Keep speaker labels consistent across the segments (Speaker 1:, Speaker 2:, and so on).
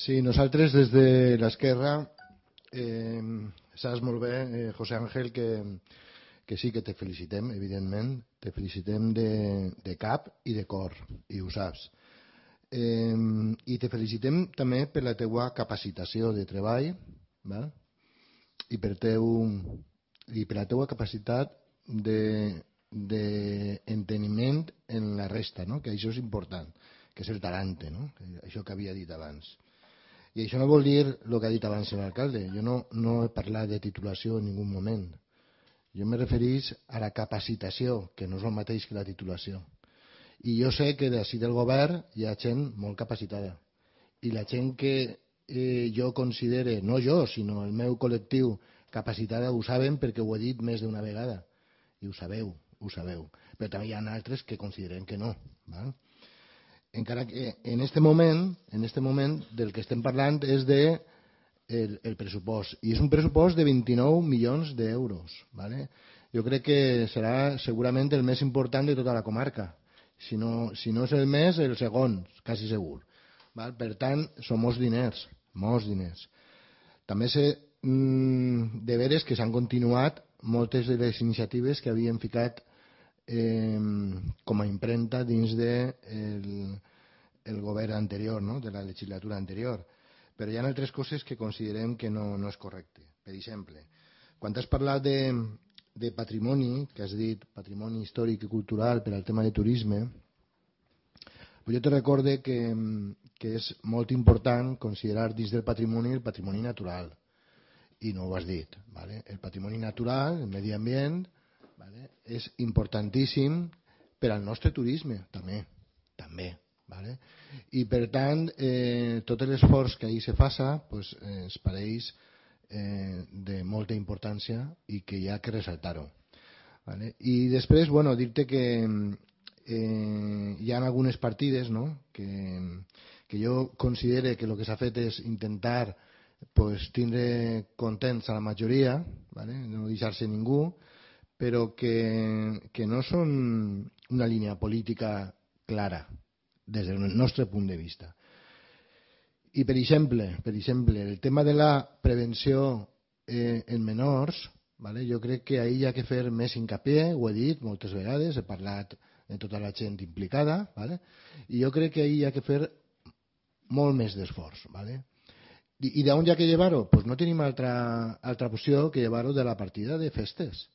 Speaker 1: Sí, nosaltres des de l'esquerra saps molt bé, José Ángel, que sí que te felicitem, evidentment, te felicitem de cap i de cor, i ho saps. I te felicitem també per la teua capacitació de treball, val? I per la teua capacitat d'enteniment en la resta, no? Que això és important, que és el talante, no? Això que havia dit abans. I això no vol dir el que ha dit abans l'alcalde. Jo no he parlat de titulació en ningú moment. Jo me referís a la capacitació, que no és el mateix que la titulació. I jo sé que d'ací del govern hi ha gent molt capacitada. I la gent que jo considere, no jo, sinó el meu col·lectiu capacitada, ho saben perquè ho he dit més d'una vegada. I ho sabeu, ho sabeu. Però també hi ha altres que consideren que no. Val? Encara que en este moment del que estem parlant és el pressupost. I és un pressupost de 29 milions d'euros. ¿Vale? Jo crec que serà segurament el més important de tota la comarca. Si no és el més, el segon, quasi segur. ¿Val? Per tant, són molts diners. Molts diners. També sé de veres que s'han continuat moltes de les iniciatives que havien ficat com a impremta dins del govern anterior, no? De la legislatura anterior. Però hi ha altres coses que considerem que no és correcte. Per exemple, quan has parlat de patrimoni, que has dit patrimoni històric i cultural per al tema de turisme, jo te recorde que és molt important considerar dins del patrimoni el patrimoni natural. I no ho has dit. ¿Vale? El patrimoni natural, el medi ambient, ¿vale? És importantíssim per al nostre turisme, també. ¿Vale? I per tant, tot l'esforç que ahir se faça pues, ens pareix de molta importància i que hi ha que ressaltar-ho. ¿Vale? I després, bueno, dir-te que hi ha algunes partides, no? que jo considere que el que s'ha fet és intentar pues, tindre contents a la majoria, ¿vale? No deixar-se ningú, però que no són una línia política clara des del nostre punt de vista. I per exemple, el tema de la prevenció en menors, ¿vale? Jo crec que ahir hi ha que fer més hincapié, ho he dit moltes vegades, he parlat de tota la gent implicada, ¿vale? I jo crec que ahir hi ha que fer molt més d'esforç. ¿Vale? I d'on hi ha que llevar-ho? Pues no tenim altra opció que llevar-ho de la partida de festes,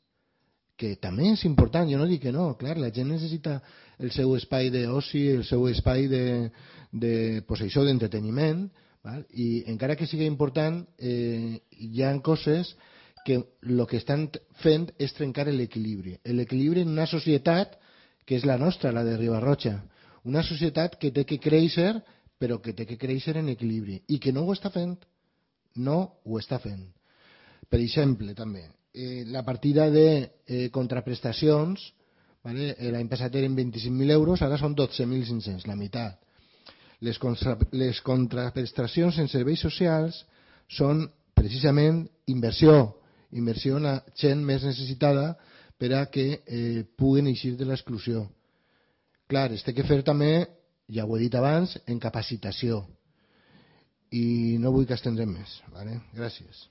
Speaker 1: que també és important, jo no dic que no, clar, la gent necessita el seu espai d'oci, el seu espai pues això, d'entreteniment, i encara que sigui important, hi ha coses que el que estan fent és trencar l'equilibri en una societat que és la nostra, la de Riba-roja, una societat que té que créixer, però que té que créixer en equilibri, i que no ho està fent. Per exemple, també, la partida de contraprestacions, ¿vale? L'any passat eren 25.000 euros, ara són 12.500, la meitat. Les contraprestacions en serveis socials són precisament inversió en la gent més necessitada per a que puguen eixir de l'exclusió. Clar, es té que fer també, ja ho he dit abans, en capacitació. I no vull que estendrem més. ¿Vale? Gràcies.